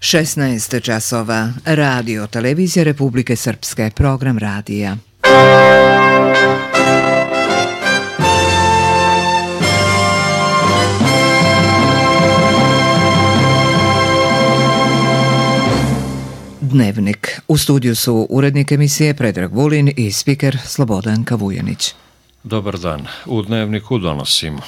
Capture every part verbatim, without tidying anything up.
šesnaest časova. Radio Televizija Republike Srpske. Program radija. Dnevnik. U studiju su urednik emisije Predrag Vulin i spiker Slobodan Kavujanić. Dobar dan. U Dnevniku donosimo.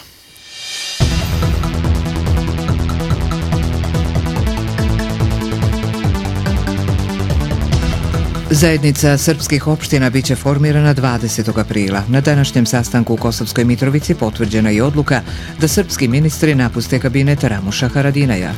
Zajednica srpskih opština biće formirana dvadesetog aprila. Na današnjem sastanku u Kosovskoj Mitrovici potvrđena je odluka da srpski ministri napuste kabinet Ramuša Haradinaja.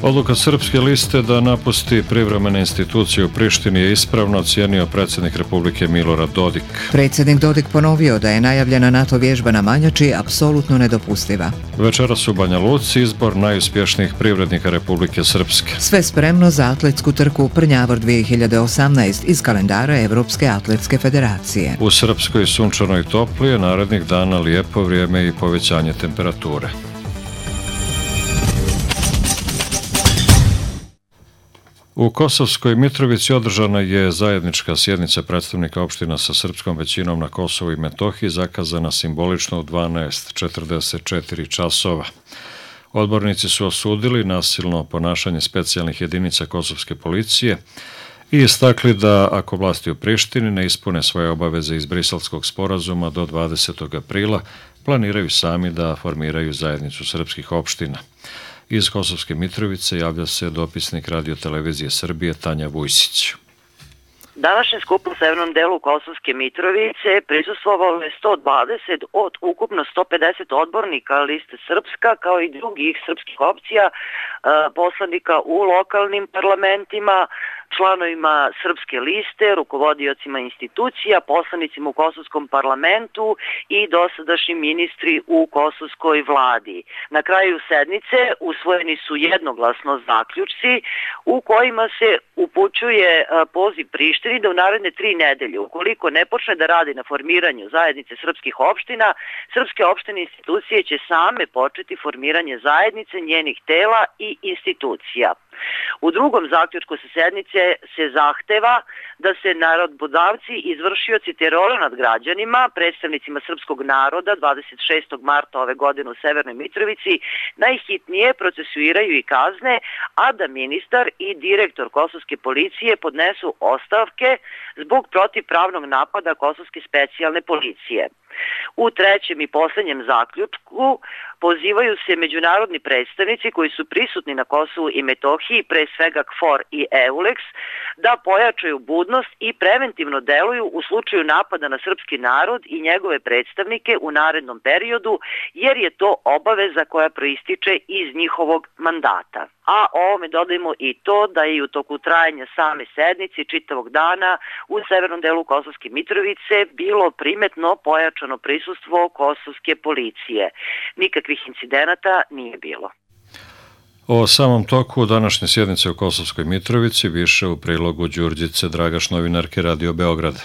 Odluka Srpske liste da napusti privremene institucije u Prištini je ispravno ocijenio predsjednik Republike Milorad Dodik. Predsjednik Dodik ponovio da je najavljena NATO vježba na Manjači apsolutno nedopustiva. Večeras u Banja Luci izbor najuspješnijih privrednika Republike Srpske. Sve spremno za atletsku trku Prnjavor dvije hiljade osamnaest iz kalendara Evropske atletske federacije. U Srpskoj sunčanoj toplije narednih dana lijepo vrijeme i povećanje temperature. U Kosovskoj Mitrovici održana je zajednička sjednica predstavnika opština sa srpskom većinom na Kosovu i Metohiji, zakazana simbolično u dvanaest četrdeset četiri časova. Odbornici su osudili nasilno ponašanje specijalnih jedinica kosovske policije i istakli da ako vlasti u Prištini ne ispune svoje obaveze iz Briselskog sporazuma do dvadesetog aprila, planiraju sami da formiraju zajednicu srpskih opština. Iz Kosovske Mitrovice javlja se dopisnik Radio Televizije Srbije Tanja Vujsić. Današnjem skupu u severnom delu Kosovske Mitrovice prisustvovalo je sto dvadeset od ukupno sto pedeset odbornika liste Srpska, kao i drugih srpskih opcija, poslanika u lokalnim parlamentima, članovima Srpske liste, rukovodiocima institucija, poslanicima u Kosovskom parlamentu i dosadašnji ministri u Kosovskoj vladi. Na kraju sednice usvojeni su jednoglasno zaključci u kojima se upućuje poziv Prištini da u naredne tri nedelje, ukoliko ne počne da radi na formiranju zajednice srpskih opština, srpske opštine institucije će same početi formiranje zajednice, njenih tela i institucija. U drugom zaključku sa sednice se zahteva da se narodbodavci i izvršioci terora nad građanima, predstavnicima srpskog naroda dvadeset šestog marta ove godine u Severnoj Mitrovici najhitnije procesuiraju i kazne, a da ministar i direktor kosovske policije podnesu ostavke zbog protivpravnog napada kosovske specijalne policije. U trećem i posljednjem zaključku pozivaju se međunarodni predstavnici koji su prisutni na Kosovu i Metohiji, pre svega K F O R i EULEX, da pojačaju budnost i preventivno deluju u slučaju napada na srpski narod i njegove predstavnike u narednom periodu, jer je to obaveza koja proističe iz njihovog mandata. A ovome dodajemo i to da je u toku trajanja same sednice čitavog dana u severnom delu Kosovske Mitrovice bilo primetno pojačano prisustvo kosovske policije. Nikakvih incidenata nije bilo. O samom toku današnje sjednice u Kosovskoj Mitrovici više u prilogu Đurđice Dragaš, novinarke Radio Beograda.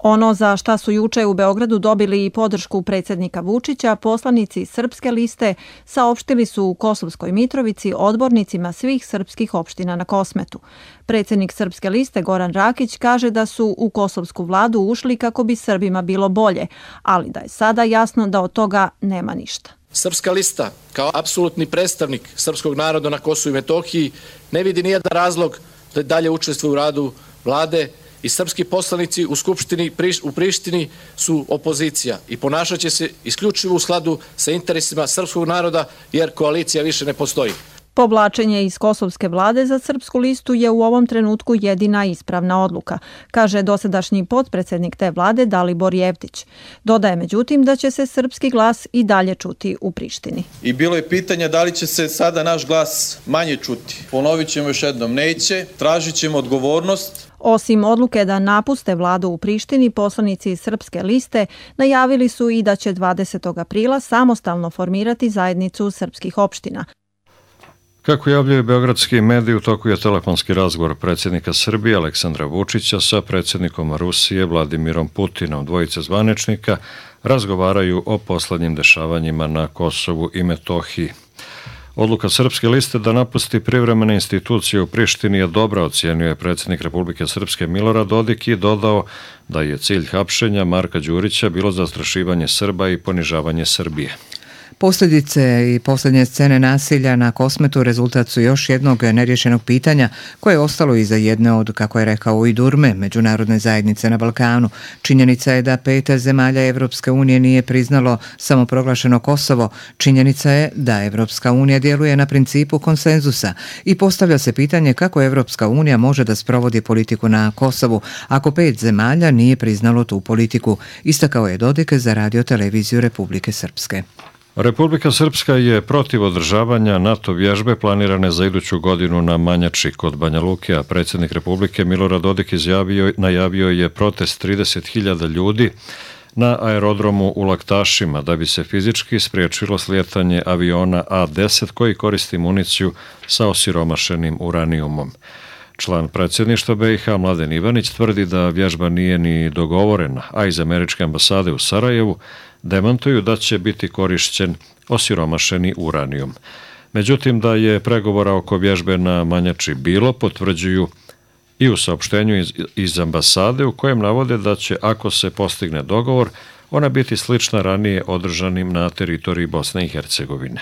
Ono za šta su juče u Beogradu dobili i podršku predsjednika Vučića, poslanici Srpske liste saopštili su u Kosovskoj Mitrovici odbornicima svih srpskih opština na Kosmetu. Predsjednik Srpske liste Goran Rakić kaže da su u kosovsku vladu ušli kako bi Srbima bilo bolje, ali da je sada jasno da od toga nema ništa. Srpska lista, kao apsolutni predstavnik srpskog naroda na Kosovu i Metohiji, ne vidi nijedan razlog da dalje učestvuje u radu vlade i srpski poslanici u Skupštini u Prištini su opozicija i ponašat će se isključivo u skladu sa interesima srpskog naroda, jer koalicija više ne postoji. Povlačenje iz kosovske vlade za Srpsku listu je u ovom trenutku jedina ispravna odluka, kaže dosadašnji potpredsjednik te vlade Dalibor Jevtić. Dodaje međutim da će se srpski glas i dalje čuti u Prištini. I bilo je pitanje da li će se sada naš glas manje čuti. Ponovit ćemo još jednom, neće, tražit ćemo odgovornost. Osim odluke da napuste vladu u Prištini, poslanici iz Srpske liste najavili su i da će dvadesetog aprila samostalno formirati zajednicu srpskih opština. Kako javljaju beogradski mediji, u toku je telefonski razgovor predsjednika Srbije Aleksandra Vučića sa predsjednikom Rusije Vladimirom Putinom. Dvojice zvaničnika razgovaraju o poslednjim dešavanjima na Kosovu i Metohiji. Odluka Srpske liste da napusti privremene institucije u Prištini je dobra, ocijenio je predsjednik Republike Srpske Milorad Dodik i dodao da je cilj hapšenja Marka Đurića bilo zastrašivanje Srba i ponižavanje Srbije. Posljedice i posljednje scene nasilja na Kosmetu rezultat su još jednog neriješenog pitanja koje je ostalo iza jedne od, kako je rekao i Durme, međunarodne zajednice na Balkanu. Činjenica je da pet zemalja Evropske unije nije priznalo samoproglašeno Kosovo. Činjenica je da Evropska unija djeluje na principu konsenzusa i postavlja se pitanje kako Evropska unija može da sprovodi politiku na Kosovu ako pet zemalja nije priznalo tu politiku, istakao je Dodik za Radio-televiziju Republike Srpske. Republika Srpska je protiv održavanja NATO vježbe planirane za iduću godinu na Manjači kod Banja Luke, a predsjednik Republike Milorad Dodik izjavio, najavio je protest trideset hiljada ljudi na aerodromu u Laktašima da bi se fizički spriječilo slijetanje aviona A deset koji koristi municiju sa osiromašenim uranijumom. Član predsjedništva B i H Mladen Ivanić tvrdi da vježba nije ni dogovorena, a iz američke ambasade u Sarajevu demantuju da će biti korišćen osiromašeni uranijum. Međutim, da je pregovora oko vježbe na Manjači bilo, potvrđuju i u saopštenju iz, iz ambasade u kojem navode da će, ako se postigne dogovor, ona biti slična ranije održanim na teritoriji Bosne i Hercegovine.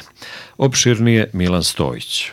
Opširnije Milan Stojić.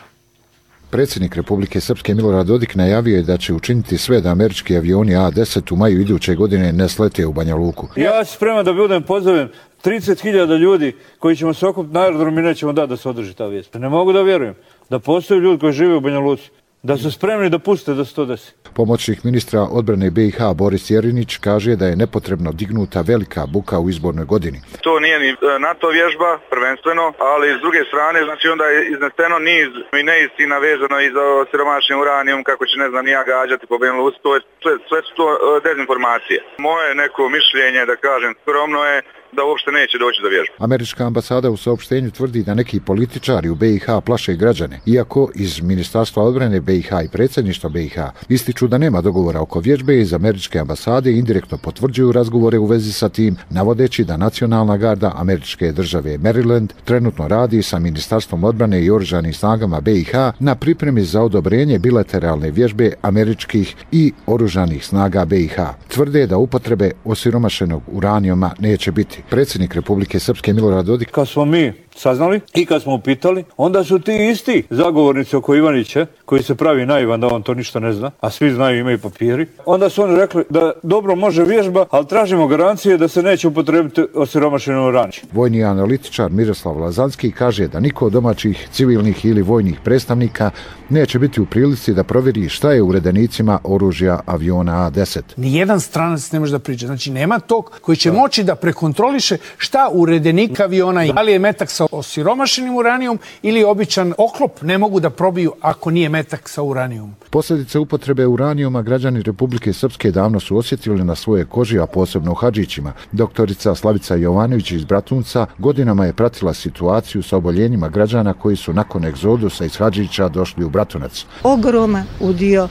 Predsjednik Republike Srpske Milorad Dodik najavio je da će učiniti sve da američki avioni A deset u maju iduće godine ne slete u Banja Luku. Ja sam spreman da budem pozovem trideset hiljada ljudi koji ćemo se okupiti na aerodrom i nećemo dati da se održi ta vijest. Ne mogu da vjerujem da postoje ljudi koji žive u Banja Luci, da su spremni da puste da se to desi. Pomoćnik ministra odbrane B i H Boris Jerinić kaže da je nepotrebno dignuta velika buka u izbornoj godini. To nije ni NATO vježba prvenstveno, ali s druge strane znači onda je izneseno niz i neistina vezano i za siromašni uranijum, kako će ne znam ni ja gađati po Banja Luci, to je sve, sve su to dezinformacije. Moje neko mišljenje, da kažem skromno, je da uopšte neće doći do vježbe. Američka ambasada u saopštenju tvrdi da neki političari u B i H plaše građane, iako iz Ministarstva odbrane B i H i predsjedništva B i H ističu da nema dogovora oko vježbe, iz američke ambasade indirektno potvrđuju razgovore u vezi sa tim, navodeći da nacionalna garda američke države Maryland trenutno radi sa Ministarstvom odbrane i oružanim snagama B i H na pripremi za odobrenje bilateralne vježbe američkih i oružanih snaga B i H. Tvrde da upotrebe osiromašenog uranijuma neće biti. Predsjednik Republike Srpske Milorad Dodik. Kad smo mi saznali i kad smo upitali, onda su ti isti zagovornici oko Ivanića, koji se pravi naivan da on to ništa ne zna, a svi znaju, imaju papiri, onda su oni rekli da dobro može vježba, ali tražimo garancije da se neće upotrebiti osiromašeno uranijum. Vojni analitičar Miroslav Lazanski kaže da niko od domaćih, civilnih ili vojnih predstavnika neće biti u prilici da provjeri šta je u redenicima oružja aviona A deset. Nijedan stranac ne može da priđe. Znači nema tog koji će moći da prekontroliše šta u redenik aviona je. Da li je metak sa osiromašenim uranijom ili običan oklop, ne mogu da probiju ako nije metak sa uranijom. Posljedice upotrebe uranijuma građani Republike Srpske davno su osjetili na svoje koži, a posebno u Hadžićima. Doktorica Slavica Jovanović iz Bratunca godinama je pratila situaciju sa oboljenjima građana koji su nakon egzodusa iz Hadžića došli u Bratunac. Ogroman udio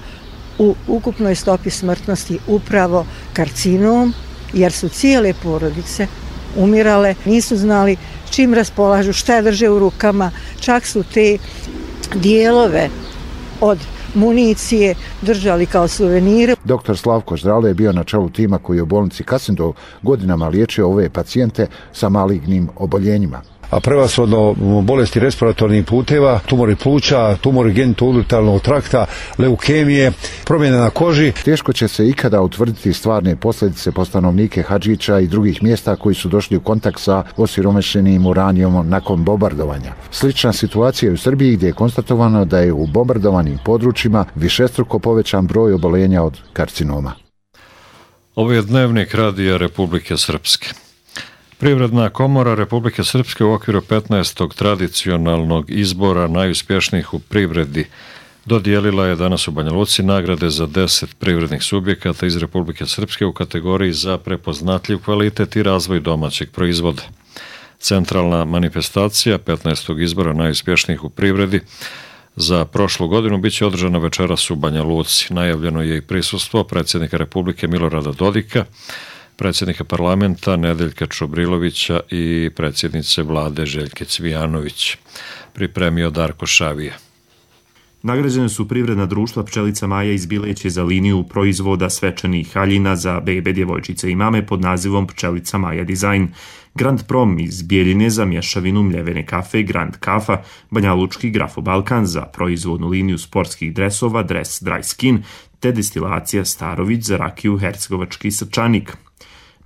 u ukupnoj stopi smrtnosti upravo karcinom, jer su cijele porodice umirale, nisu znali čim raspolažu, šta drže u rukama, čak su te dijelove od municije držali kao suvenire. Doktor Slavko Ždralo je bio na čelu tima koji je u bolnici Kasindov godinama liječio ove pacijente sa malignim oboljenjima. A prevashodno bolesti respiratornih puteva, tumori pluća, tumori genitouretarnog trakta, leukemije, promjene na koži. Teško će se ikada utvrditi stvarne posljedice po stanovnike Hadžića i drugih mjesta koji su došli u kontakt sa osiromašenim uranijumom nakon bombardovanja. Slična situacija je u Srbiji gdje je konstatovano da je u bombardovanim područjima višestruko povećan broj oboljenja od karcinoma. Ovo je dnevnik Radija Republike Srpske. Privredna komora Republike Srpske u okviru petnaestog tradicionalnog izbora najuspješnijih u privredi dodijelila je danas u Banja Luci nagrade za deset privrednih subjekata iz Republike Srpske u kategoriji za prepoznatljiv kvalitet i razvoj domaćeg proizvoda. Centralna manifestacija petnaestog izbora najuspješnijih u privredi za prošlu godinu biće održana večeras u Banja Luci. Najavljeno je i prisustvo predsjednika Republike Milorada Dodika, predsjednika parlamenta Nedeljka Čobrilovića i predsjednice vlade Željke Cvijanović. Pripremio Darko Šavija. Nagrađene su privredna društva Pčelica Maja iz Bileće za liniju proizvoda svečanih haljina za bebe, djevojčice i mame pod nazivom Pčelica Maja Dizajn. Grand Prom iz Bijeljine za mješavinu mljevene kafe, Grand Kafa, Banjalučki Grafo Balkan za proizvodnu liniju sportskih dresova Dress Dry Skin, te destilacija Starović za rakiju Hercegovački Srčanik.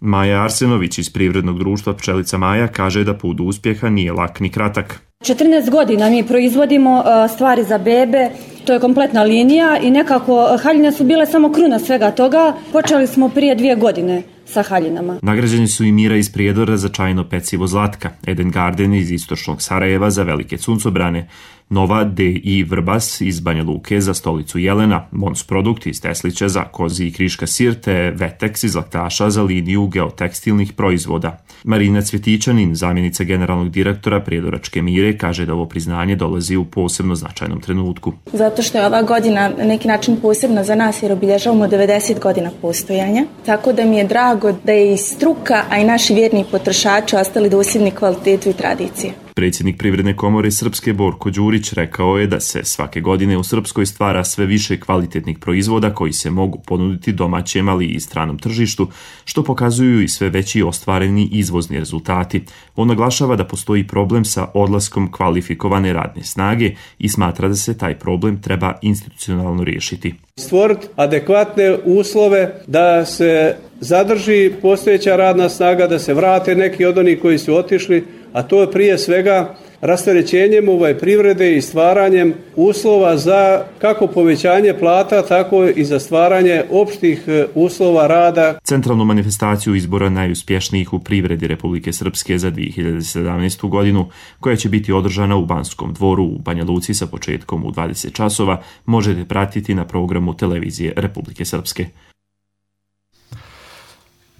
Maja Arsenović iz privrednog društva Pčelica Maja kaže da put do uspjeha nije lak ni kratak. četrnaest godina mi proizvodimo stvari za bebe, to je kompletna linija i nekako haljine su bile samo kruna svega toga. Počeli smo prije dvije godine sa haljinama. Nagrađeni su i Mira iz Prijedora za čajno pecivo Zlatka, Eden Garden iz istočnog Sarajeva za velike suncobrane, Nova D I Vrbas iz Banja Luke za stolicu Jelena, Mons Produkt iz Teslića za kozi i kriška sir, te Vetex iz Laktaša za liniju geotekstilnih proizvoda. Marina Cvjetićanin, zamjenica generalnog direktora Prijedoračke Mire, kaže da ovo priznanje dolazi u posebno značajnom trenutku. Zato što je ova godina na neki način posebna za nas jer obilježavamo devedeset godina postojanja, tako da mi je drago da je i struka, a i naši vjerni potrošači ostali dosljedni kvalitetu i tradiciji. Predsjednik Privredne komore Srpske Borko Đurić rekao je da se svake godine u Srpskoj stvara sve više kvalitetnih proizvoda koji se mogu ponuditi domaćem, ali i stranom tržištu, što pokazuju i sve veći ostvareni izvozni rezultati. On naglašava da postoji problem sa odlaskom kvalifikovane radne snage i smatra da se taj problem treba institucionalno riješiti. Stvoriti adekvatne uslove da se zadrži postojeća radna snaga, da se vrate neki od onih koji su otišli, a to je prije svega rasterećenjem ovaj privrede i stvaranjem uslova za kako povećanje plata, tako i za stvaranje opštih uslova rada. Centralnu manifestaciju izbora najuspješnijih u privredi Republike Srpske za dvije hiljade sedamnaestu. godinu, koja će biti održana u Banskom dvoru u Banja Luci sa početkom u dvadeset časova, možete pratiti na programu televizije Republike Srpske.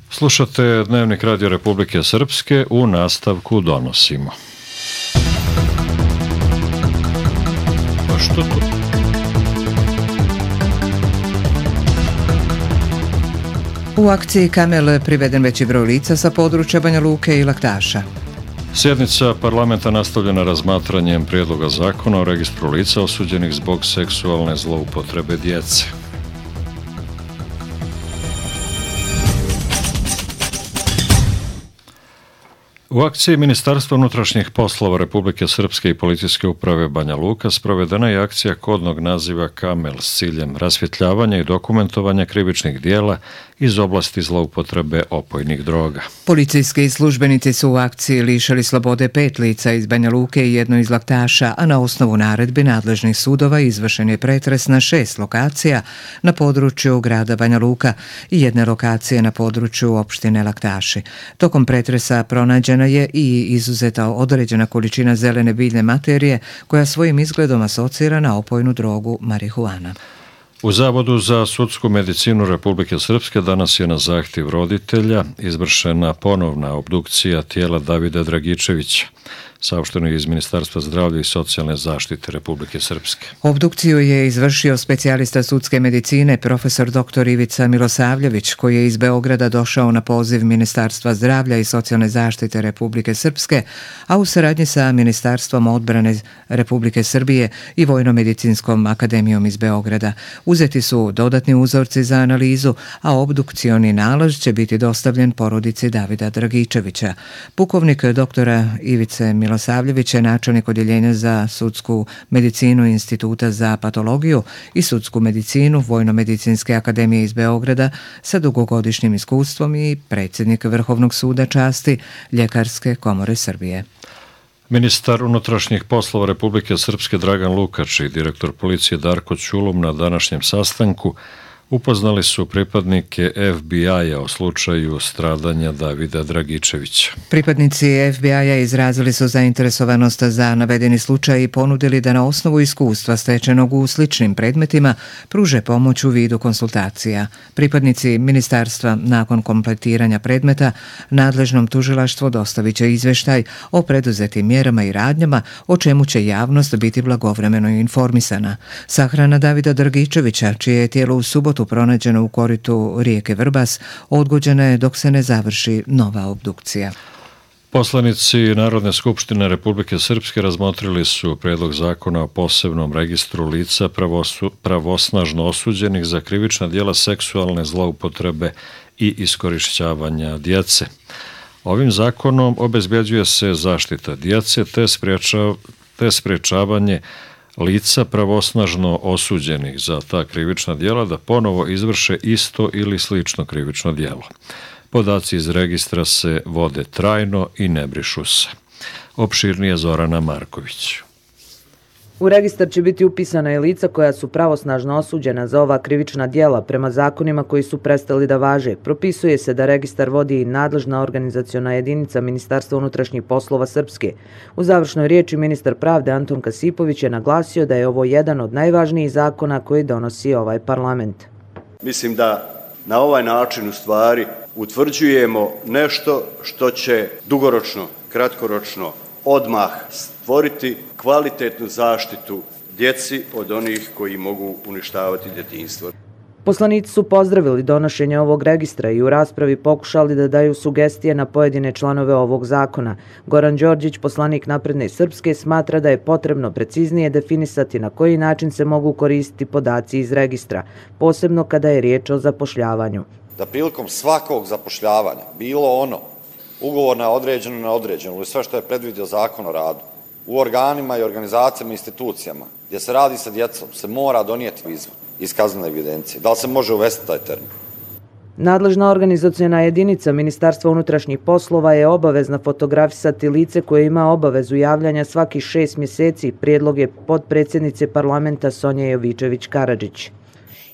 Slušate Dnevnik Radio Republike Srpske, u nastavku donosimo. Pa što to? U akciji Kamel priveden veći broj lica sa područja Banja Luke i Laktaša. Sjednica parlamenta nastavljena razmatranjem prijedloga zakona o registru lica osuđenih zbog seksualne zloupotrebe djece. U akciji Ministarstva unutrašnjih poslova Republike Srpske i Policijske uprave Banja Luka sprovedena je akcija kodnog naziva Kamel s ciljem rasvjetljavanja i dokumentovanja krivičnih dijela iz oblasti zloupotrebe opojnih droga. Policijski službenici su u akciji lišali slobode pet lica iz Banja Luke i jedno iz Laktaša, a na osnovu naredbi nadležnih sudova izvršen je pretres na šest lokacija na području grada Banja Luka i jedne lokacije na području opštine Laktaši. Tokom pretresa pronađena je i izuzeta određena količina zelene biljne materije koja svojim izgledom asocira na opojnu drogu marihuana. U Zavodu za sudsku medicinu Republike Srpske danas je na zahtjev roditelja izvršena ponovna obdukcija tijela Davida Dragičevića, saopšteno je iz Ministarstva zdravlja i socijalne zaštite Republike Srpske. Obdukciju je izvršio specijalista sudske medicine profesor doktor Ivica Milosavljević, koji je iz Beograda došao na poziv Ministarstva zdravlja i socijalne zaštite Republike Srpske, a u saradnji sa Ministarstvom odbrane Republike Srbije i Vojno-medicinskom akademijom iz Beograda. Uzeti su dodatni uzorci za analizu, a obdukcioni nalaz će biti dostavljen porodici Davida Dragičevića. Pukovnik doktora Ivice Milosavljević Milosavljević je načelnik odjeljenja za sudsku medicinu Instituta za patologiju i sudsku medicinu Vojno-medicinske akademije iz Beograda sa dugogodišnjim iskustvom i predsjednik Vrhovnog suda časti Ljekarske komore Srbije. Ministar unutrašnjih poslova Republike Srpske Dragan Lukač i direktor policije Darko Ćulum na današnjem sastanku upoznali su pripadnike F B I-a o slučaju stradanja Davida Dragičevića. Pripadnici F B I-a izrazili su zainteresovanost za navedeni slučaj i ponudili da na osnovu iskustva stečenog u sličnim predmetima pruže pomoć u vidu konsultacija. Pripadnici ministarstva nakon kompletiranja predmeta nadležnom tužilaštvu dostavit će izveštaj o preduzetim mjerama i radnjama, o čemu će javnost biti blagovremeno informisana. Sahrana Davida Dragičevića, čije je tijelo u subotu subotu pronađeno u koritu rijeke Vrbas odgođena je dok se ne završi nova obdukcija. Poslanici Narodne skupštine Republike Srpske razmotrili su predlog zakona o posebnom registru lica pravosu, pravosnažno osuđenih za krivična djela seksualne zloupotrebe i iskorišćavanja djece. Ovim zakonom obezbeđuje se zaštita djece te, spriječav, te spriječavanje lica pravosnažno osuđenih za ta krivična djela da ponovo izvrše isto ili slično krivično djelo. Podaci iz registra se vode trajno i ne brišu se. Opširnije Zorana Marković. U registar će biti upisana i lica koja su pravosnažno osuđena za ova krivična djela prema zakonima koji su prestali da važe. Propisuje se da registar vodi i nadležna organizaciona jedinica Ministarstva unutrašnjih poslova Srpske. U završnoj riječi ministar pravde Anton Kasipović je naglasio da je ovo jedan od najvažnijih zakona koji donosi ovaj parlament. Mislim da na ovaj način u stvari utvrđujemo nešto što će dugoročno, kratkoročno odmah stvoriti kvalitetnu zaštitu djeci od onih koji mogu uništavati djetinjstvo. Poslanici su pozdravili donošenje ovog registra i u raspravi pokušali da daju sugestije na pojedine članove ovog zakona. Goran Đorđić, poslanik Napredne Srpske, smatra da je potrebno preciznije definisati na koji način se mogu koristiti podaci iz registra, posebno kada je riječ o zapošljavanju. Da prilikom svakog zapošljavanja, bilo ono ugovor na određeno na određeno ili sve što je predvidio zakon o radu, u organima i organizacijama i institucijama gdje se radi sa djecom se mora donijeti izvod iz kaznene evidencije. Da li se može uvesti taj termin? Nadležna organizaciona jedinica Ministarstva unutrašnjih poslova je obavezna fotografisati lice koje ima obavezu javljanja svakih šest mjeseci, prijedlog je potpredsjednice parlamenta Sonje Jovičević-Karadžić.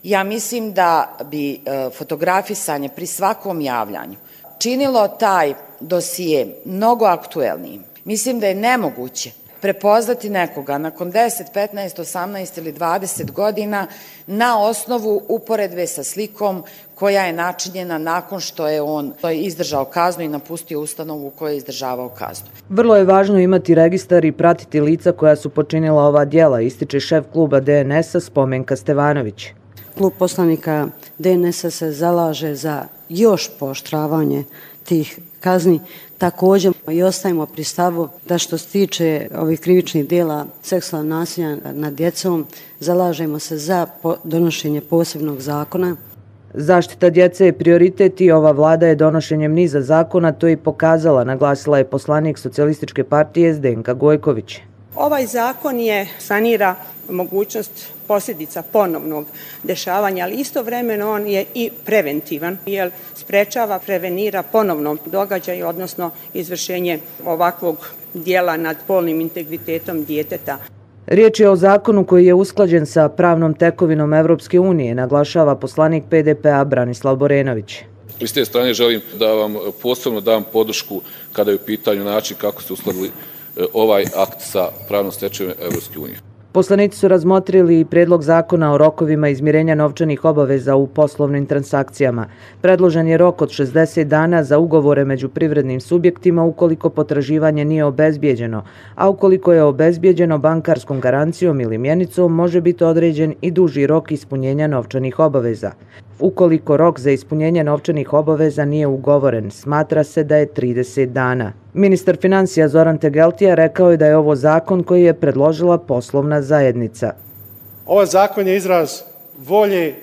Ja mislim da bi e, fotografisanje pri svakom javljanju činilo taj dosije mnogo aktuelnijim. Mislim da je nemoguće prepoznati nekoga nakon deset, petnaest, osamnaest ili dvadeset godina na osnovu uporedbe sa slikom koja je načinjena nakon što je on izdržao kaznu i napustio ustanovu u kojoj je izdržavao kaznu. Vrlo je važno imati registar i pratiti lica koja su počinila ova djela, ističe šef kluba D N S-a Spomenka Stevanović. Klub poslanika D N S-a se zalaže za još pooštravanje tih kazni. Također i ostajemo pri stavu da što se tiče ovih krivičnih djela seksualnog nasilja nad djecom, zalažemo se za donošenje posebnog zakona. Zaštita djece je prioritet i ova vlada je donošenjem niza zakona to i pokazala, naglasila je poslanik Socijalističke partije Zdenka Gojković. Ovaj zakon je sanira mogućnost posljedica ponovnog dešavanja, ali istovremeno on je i preventivan, jer sprečava, prevenira ponovno događaj, odnosno izvršenje ovakvog dijela nad polnim integritetom djeteta. Riječ je o zakonu koji je usklađen sa pravnom tekovinom Evropske unije, naglašava poslanik P D P-a Branislav Borenović. S te strane želim da vam posebno dam podršku kada je u pitanju način kako ste uskladili ovaj akt sa pravnom stečevinom Evropske unije. Poslanici su razmotrili i predlog zakona o rokovima izmirenja novčanih obaveza u poslovnim transakcijama. Predložen je rok od šezdeset dana za ugovore među privrednim subjektima ukoliko potraživanje nije obezbijeđeno, a ukoliko je obezbijeđeno bankarskom garancijom ili mjenicom može biti određen i duži rok ispunjenja novčanih obaveza. Ukoliko rok za ispunjenje novčanih obaveza nije ugovoren, smatra se da je trideset dana. Ministar financija Zoran Tegeltija rekao je da je ovo zakon koji je predložila poslovna zajednica. Ovaj zakon je izraz volje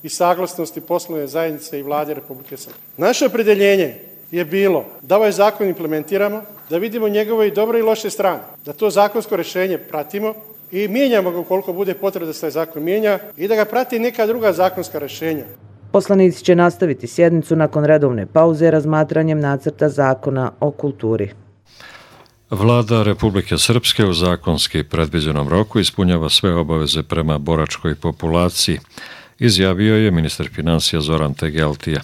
i saglasnosti poslovne zajednice i vlade Republike Srpske. Naše opredeljenje je bilo da ovaj zakon implementiramo, da vidimo njegove i dobre i loše strane, da to zakonsko rješenje pratimo i mijenjamo ga ukoliko bude potreba da se taj zakon mijenja i da ga prati neka druga zakonska rješenja. Poslanici će nastaviti sjednicu nakon redovne pauze razmatranjem nacrta zakona o kulturi. Vlada Republike Srpske u zakonski predviđenom roku ispunjava sve obaveze prema boračkoj populaciji, izjavio je ministar financija Zoran Tegeltija.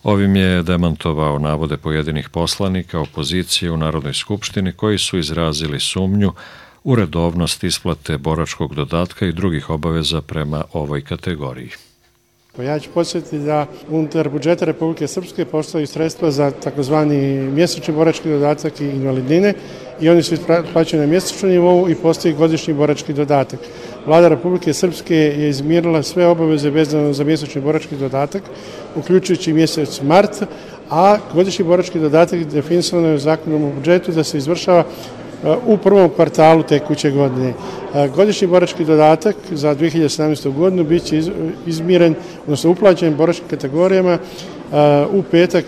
Ovim je demantovao navode pojedinih poslanika opozicije u Narodnoj skupštini koji su izrazili sumnju u redovnost isplate boračkog dodatka i drugih obaveza prema ovoj kategoriji. Ja ću podsjetiti da unutar budžeta Republike Srpske postoji sredstva za takozvani mjesečni borački dodatak i invalidnine i oni su isplaćeni na mjesečnom nivou i postoji godišnji borački dodatak. Vlada Republike Srpske je izmirila sve obaveze vezano za mjesečni borački dodatak, uključujući mjesec mart, a godišnji borački dodatak definisano je zakonom o budžetu da se izvršava u prvom kvartalu tekuće godine. Godišnji borački dodatak za dvije hiljade sedamnaestu. godinu bit će izmiren, odnosno uplaćen boračkim kategorijama u petak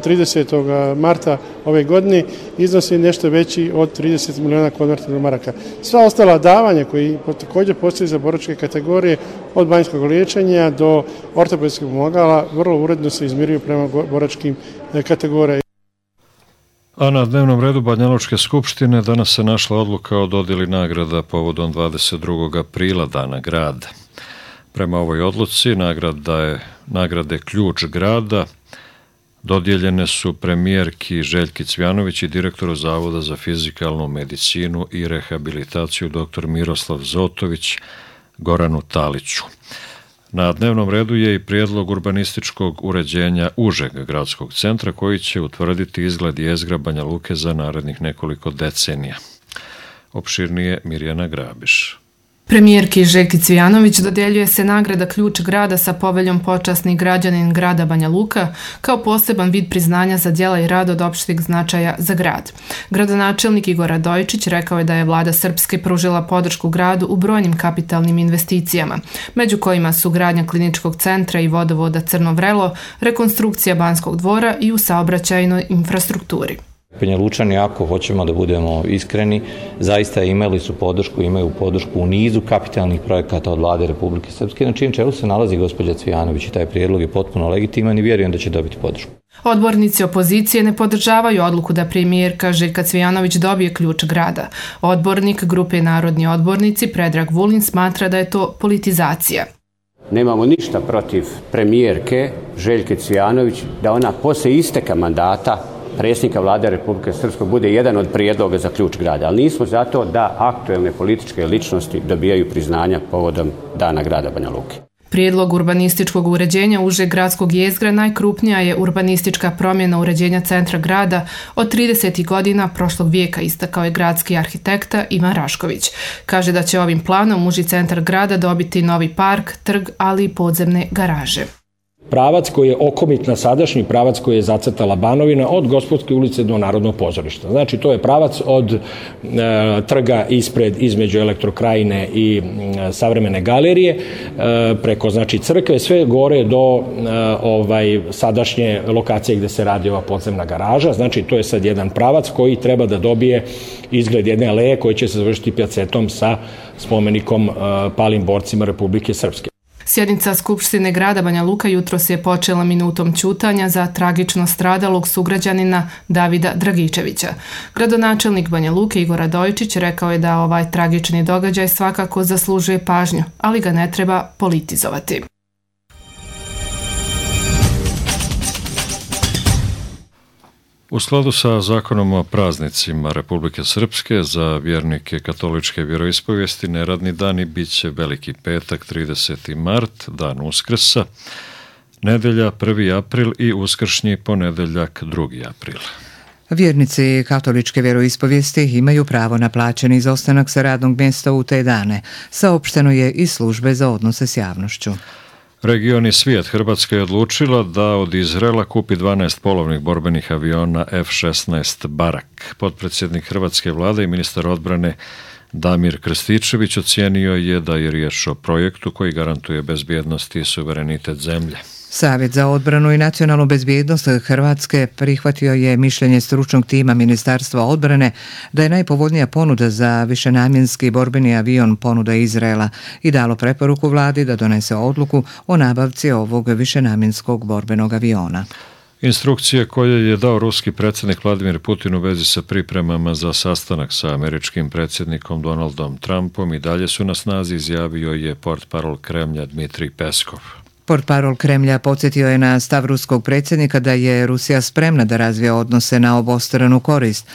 tridesetog marta ove godine, iznosi nešto veći od trideset miliona konvertibilnih maraka. Sva ostala davanja koji također postoji za boračke kategorije, od banjskog liječenja do ortopedskih pomagala, vrlo uredno se izmiruju prema boračkim kategorijama. A na dnevnom redu Banjalučke skupštine danas se našla odluka o dodjeli nagrada povodom dvadeset drugog aprila, Dana grada. Prema ovoj odluci nagrada je, nagrade Ključ grada dodijeljene su premijerki Željki Cvjanović i direktoru Zavoda za fizikalnu medicinu i rehabilitaciju dr. Miroslav Zotović, Goranu Taliću. Na dnevnom redu je i prijedlog urbanističkog uređenja užeg gradskog centra koji će utvrditi izgled jezgra Banja Luke za narednih nekoliko decenija. Opširnije Mirjana Grabiš. Premijerki Željki Cvjanović dodjeljuje se nagrada Ključ grada sa poveljom Počasni građanin grada Banja Luka kao poseban vid priznanja za djela i rad od opšteg značaja za grad. Gradonačelnik Igor Radojičić rekao je da je vlada Srpske pružila podršku gradu u brojnim kapitalnim investicijama, među kojima su gradnja kliničkog centra i vodovoda Crno Vrelo, rekonstrukcija Banskog dvora i u saobraćajnoj infrastrukturi. Banja Lučani, ako hoćemo da budemo iskreni, zaista imali su podršku, imaju podršku u nizu kapitalnih projekata od vlade Republike Srpske, na čijem čelu se nalazi gospođa Cvjanović i taj prijedlog je potpuno legitiman i vjerujem da će dobiti podršku. Odbornici opozicije ne podržavaju odluku da premijerka Željka Cvjanović dobije ključ grada. Odbornik grupe Narodni odbornici Predrag Vulin smatra da je to politizacija. Nemamo ništa protiv premijerke Željke Cvjanović da ona poslije isteka mandata predsjednika vlade Republike Srpske bude jedan od prijedloga za ključ grada, ali nismo zato da aktuelne političke ličnosti dobijaju priznanja povodom Dana grada Banja Luke. Prijedlog urbanističkog uređenja užeg gradskog jezgra najkrupnija je urbanistička promjena uređenja centra grada od tridesetih godina prošlog vijeka, istakao je gradski arhitekta Ivan Rašković. Kaže da će ovim planom uži centar grada dobiti novi park, trg, ali i podzemne garaže. Pravac koji je okomit na sadašnji pravac koji je zacrtala Banovina od Gospodske ulice do Narodnog pozorišta. Znači to je pravac od e, trga ispred između Elektrokrajine i e, Savremene galerije e, preko znači crkve sve gore do e, ovaj sadašnje lokacije gdje se radi ova podzemna garaža. Znači to je sad jedan pravac koji treba da dobije izgled jedne aleje koji će se završiti pjacetom sa spomenikom e, palim borcima Republike Srpske. Sjednica Skupštine grada Banja Luka jutros je počela minutom ćutanja za tragično stradalog sugrađanina Davida Dragičevića. Gradonačelnik Banja Luke Igor Radojičić rekao je da ovaj tragični događaj svakako zaslužuje pažnju, ali ga ne treba politizovati. U skladu sa zakonom o praznicima Republike Srpske za vjernike katoličke vjeroispovijesti neradni dani bit će Veliki petak trideseti mart, dan Uskrsa, nedelja prvi april i uskršnji ponedeljak drugi april. Vjernici katoličke vjeroispovijesti imaju pravo na plaćeni izostanak sa radnog mjesta u te dane, saopšteno je iz službe za odnose s javnošću. Region i svijet Hrvatska je odlučila da od Izraela kupi dvanaest polovnih borbenih aviona F šesnaest Barak. Potpredsjednik Hrvatske vlade i ministar odbrane Damir Krstičević ocijenio je da je riječ o projektu koji garantuje bezbjednost i suverenitet zemlje. Savjet za odbranu i nacionalnu bezbjednost Hrvatske prihvatio je mišljenje stručnog tima Ministarstva odbrane da je najpovoljnija ponuda za višenamjenski borbeni avion ponuda Izraela i dalo preporuku vladi da donese odluku o nabavci ovog višenamjenskog borbenog aviona. Instrukcije koje je dao ruski predsjednik Vladimir Putin u vezi sa pripremama za sastanak sa američkim predsjednikom Donaldom Trumpom i dalje su na snazi, izjavio je portparol Kremlja Dmitrij Peskov. Portparol Kremlja podsjetio je na stav ruskog predsjednika da je Rusija spremna da razvije odnose na obostranu korist,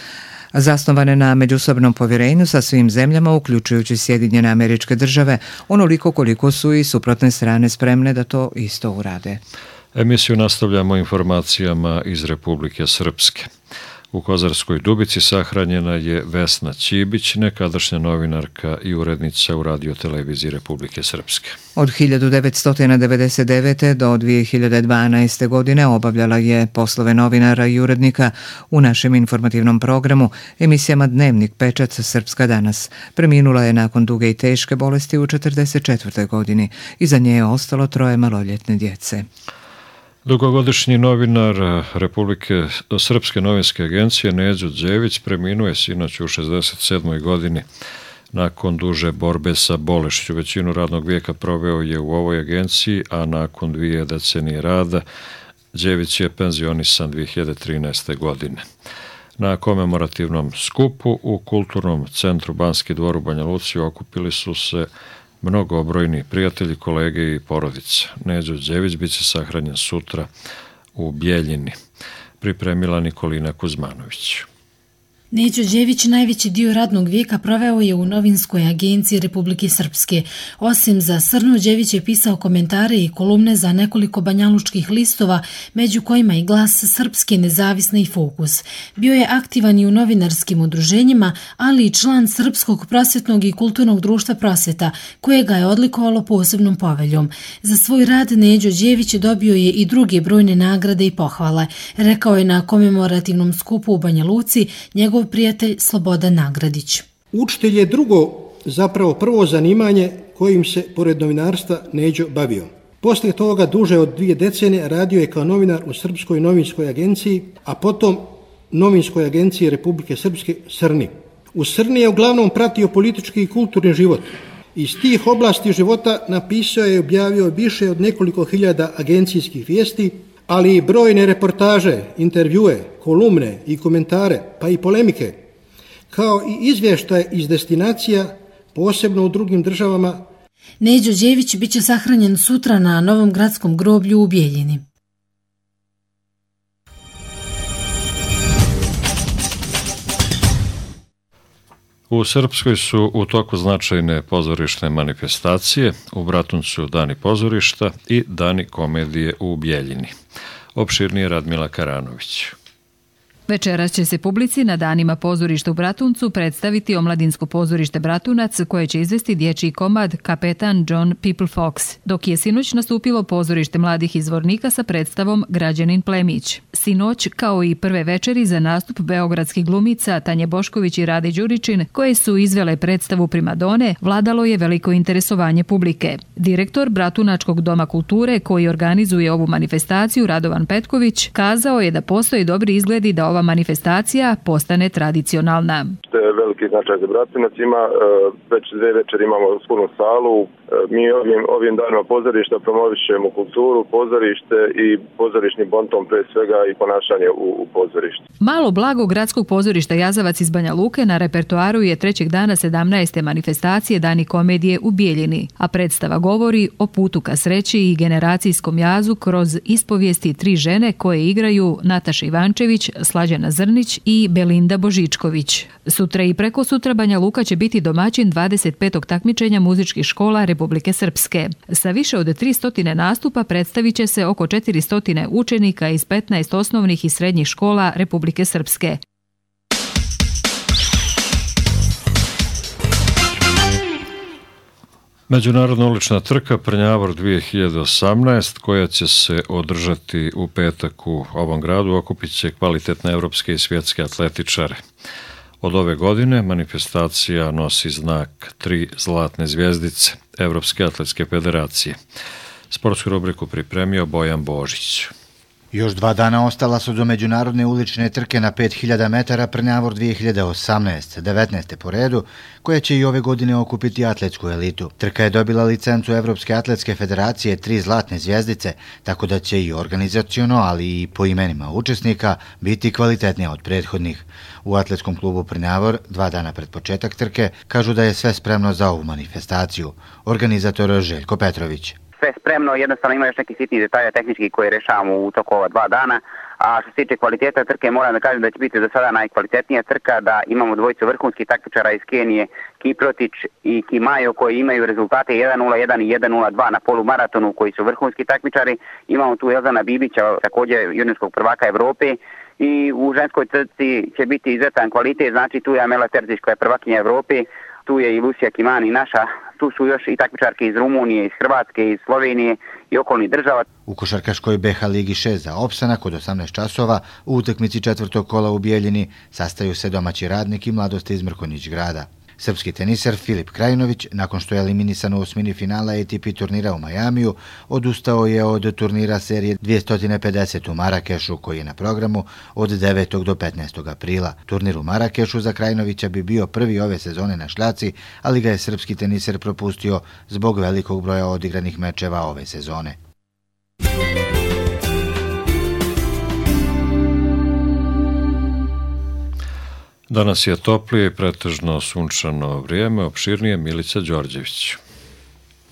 zasnovane na međusobnom povjerenju sa svim zemljama, uključujući Sjedinjene Američke Države, onoliko koliko su i suprotne strane spremne da to isto urade. Emisiju nastavljamo informacijama iz Republike Srpske. U Kozarskoj Dubici sahranjena je Vesna Ćibić, nekadašnja novinarka i urednica u Radio-televiziji Republike Srpske. Od hiljadu devetsto devedeset devete. do dvije hiljade dvanaeste. godine obavljala je poslove novinara i urednika u našem informativnom programu, emisijama Dnevnik, Pečat, Srpska danas. Preminula je nakon duge i teške bolesti u četrdeset četvrtoj. godini. Iza nje je ostalo troje maloljetne djece. Dugogodišnji novinar Republike Srpske novinske agencije Neđo Đević preminuo je sinoć u šezdeset sedmoj. godini nakon duže borbe sa bolešću. Većinu radnog vijeka proveo je u ovoj agenciji, a nakon dvije decenije rada Đević je penzionisan dvije hiljade trinaeste. godine. Na komemorativnom skupu u Kulturnom centru Banski dvor u Banja Luci okupili su se mnogobrojni prijatelji, kolege i porodice. Neđo Đević bit će sahranjen sutra u Bijeljini, pripremila Nikolina Kuzmanović. Neđo Đević najveći dio radnog vijeka proveo je u novinskoj agenciji Republike Srpske. Osim za Srnu, Đević je pisao komentare i kolumne za nekoliko banjalučkih listova, među kojima i Glas Srpske, Nezavisna i Fokus. Bio je aktivan i u novinarskim udruženjima, ali i član Srpskog prosvetnog i kulturnog društva Prosveta, koje ga je odlikovalo posebnom poveljom. Za svoj rad Neđo Đević dobio je i druge brojne nagrade i pohvale. Rekao je na komemorativnom skupu u Banja Luci njegov prijatelj Slobodan Nagradić. Učitelj je drugo, zapravo prvo zanimanje kojim se pored novinarstva Neđo bavio. Poslije toga duže od dvije decenije radio je kao novinar u Srpskoj novinskoj agenciji, a potom Novinskoj agenciji Republike Srpske Srni. U Srni je uglavnom pratio politički i kulturni život. Iz tih oblasti života napisao je i objavio više od nekoliko hiljada agencijskih vijesti, ali i brojne reportaže, intervjue, kolumne i komentare, pa i polemike, kao i izvještaje iz destinacija, posebno u drugim državama. Neđo Đević bit će sahranjen sutra na Novom gradskom groblju u Bijeljini. U Srpskoj su u toku značajne pozorišne manifestacije, u Bratuncu Dani pozorišta i Dani komedije u Bijeljini. Opširnije Radmila Karanović. Večeras će se publici na danima pozorišta u Bratuncu predstaviti Omladinsko pozorište Bratunac, koje će izvesti dječji komad Kapetan John People Fox, dok je sinoć nastupilo pozorište mladih izvornika sa predstavom Građanin Plemić. Sinoć, kao i prve večeri za nastup beogradskih glumica Tanje Bošković i Rade Đuričin, koje su izvele predstavu Primadone, vladalo je veliko interesovanje publike. Direktor Bratunačkog doma kulture, koji organizuje ovu manifestaciju, Radovan Petković, kazao je da postoje dobri izgledi da ova manifestacija postane tradicionalna. To je veliki značaj za Bratunac, ima već dve večeri imamo punu salu. Mi ovim, ovim danima pozorišta promovišemo kulturu, pozorište i pozorišni bonton, pre svega i ponašanje u, u pozorištu. Malo blago gradskog pozorišta Jazavac iz Banja Luke na repertoaru je trećeg dana sedamnaeste manifestacije Dani komedije u Bijeljini, a predstava govori o putu ka sreći i generacijskom jazu kroz ispovijesti tri žene koje igraju Nataša Ivančević, Slađana Zrnić i Belinda Božičković. Sutra i preko sutra Banja Luka će biti domaćin dvadeset petog takmičenja muzičkih škola Republike Srpske. Sa više od tristo nastupa predstavit će se oko četiristo učenika iz petnaest osnovnih i srednjih škola Republike Srpske. Međunarodna ulična trka Prnjavor dvije hiljade osamnaest, koja će se održati u petak u ovom gradu, okupit će kvalitetne evropske i svjetske atletičare. Od ove godine manifestacija nosi znak tri zlatne zvjezdice Evropske atletske federacije. Sportsku rubriku pripremio Bojan Božić. Još dva dana ostala su do međunarodne ulične trke na pet hiljada metara Prnjavor dvije hiljade osamnaest, devetnaeste po redu, koja će i ove godine okupiti atletsku elitu. Trka je dobila licencu Evropske atletske federacije tri zlatne zvjezdice, tako da će i organizaciono, ali i po imenima učesnika biti kvalitetnija od prethodnih. U atletskom klubu Prnjavor, dva dana pred početak trke, kažu da je sve spremno za ovu manifestaciju. Organizator Željko Petrović. Sve spremno, jednostavno ima još neki sitni detalja tehnički koje rešavamo u toku ova dva dana, A što se tiče kvaliteta trke, moram da kažem da će biti do sada najkvalitetnija trka, da imamo dvojicu vrhunskih takmičara iz Kenije, Kiprotić i Kimajo, koji imaju rezultate jedan nula jedan i jedan nula dva na polumaratonu, koji su vrhunski takmičari. Imamo tu Elzana Bibića, također juniorskog prvaka Evrope, i u ženskoj trci će biti izuzetan kvalitet, znači tu je Amela Terzić koja je prvakinja Evrope, tu je i Lucija Kimani naša, tu su još i takmičarke iz Rumunije, iz Hrvatske, iz Slovenije i okolnih država. U košarkaškoj B H Ligi šest za opstanak od osamnaest časova u utakmici četvrtog kola u Bijeljini sastaju se domaći Radnik i Mladost iz Mrkonjić grada. Srpski teniser Filip Krajinović, nakon što je eliminisan u osmini finala A T P turnira u Majamiju, odustao je od turnira serije dvjesto pedeset u Marakešu, koji je na programu od devetog do petnaestog aprila. Turnir u Marakešu za Krajinovića bi bio prvi ove sezone na šljaci, ali ga je srpski teniser propustio zbog velikog broja odigranih mečeva ove sezone. Danas je toplije i pretežno sunčano vrijeme, opširnije Milica Đorđević.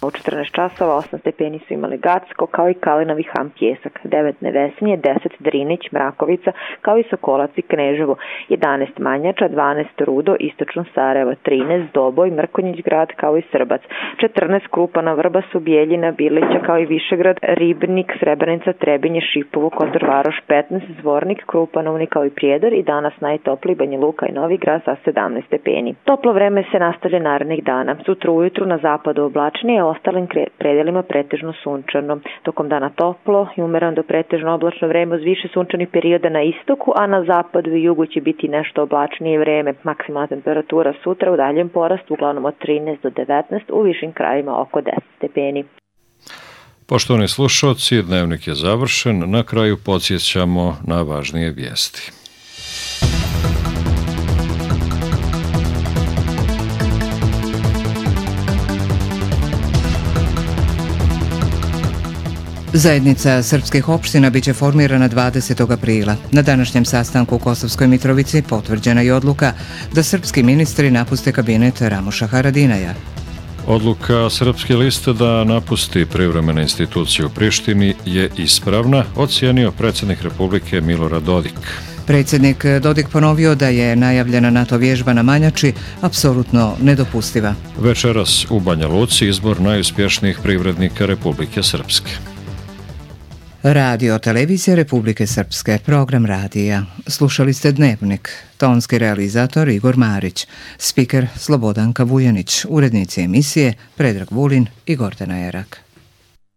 U četrnaest časova osam stepeni su imali Gacko, kao i Kalinovi ham Pjesak, devet Nevesinje, deset Drinić, Mrakovica, kao i Sokolac i Kneževo, jedanaest Manjača, dvanaest Rudo, Istočno Sarajevo, trinaest Doboj, Mrkonjić grad, kao i Srbac, četrnaest Krupana, Vrbas, Bijeljina, Bilića, kao i Višegrad, Ribnik, Srebrenica, Trebinje, Šipovo, Kotor Varoš, petnaest Zvornik, Krupanovni, kao i Prijedor, i danas najtopliji Banja Luka i Novi Grad sa sedamnaest stepeni. Toplo vreme se nastavlja narednih dana. Sutra ujutru na zapadu oblačnije, ostalim predelima pretežno sunčano. Tokom dana toplo i umereno do pretežno oblačno vreme uz više sunčanih perioda na istoku, a na zapadu i jugu će biti nešto oblačnije vreme. Maksimalna temperatura sutra u daljem porastu, uglavnom od trinaest do devetnaest, u višim krajima oko deset stepeni. Poštovani slušalci, dnevnik je završen. Na kraju podsjećamo na važnije vijesti. Zajednica srpskih opština biće formirana dvadesetog aprila. Na današnjem sastanku u Kosovskoj Mitrovici potvrđena je odluka da srpski ministri napuste kabinet Ramoša Haradinaja. Odluka Srpske liste da napusti privremene institucije u Prištini je ispravna, ocijenio predsjednik Republike Milorad Dodik. Predsjednik Dodik ponovio da je najavljena NATO vježba na Manjači apsolutno nedopustiva. Večeras u Banja Luci izbor najuspješnijih privrednika Republike Srpske. Radio televizija Republike Srpske, program radija. Slušali ste Dnevnik. Tonski realizator Igor Marić, spiker Slobodanka Vujanić, urednici emisije Predrag Vulin i Gordana Erak.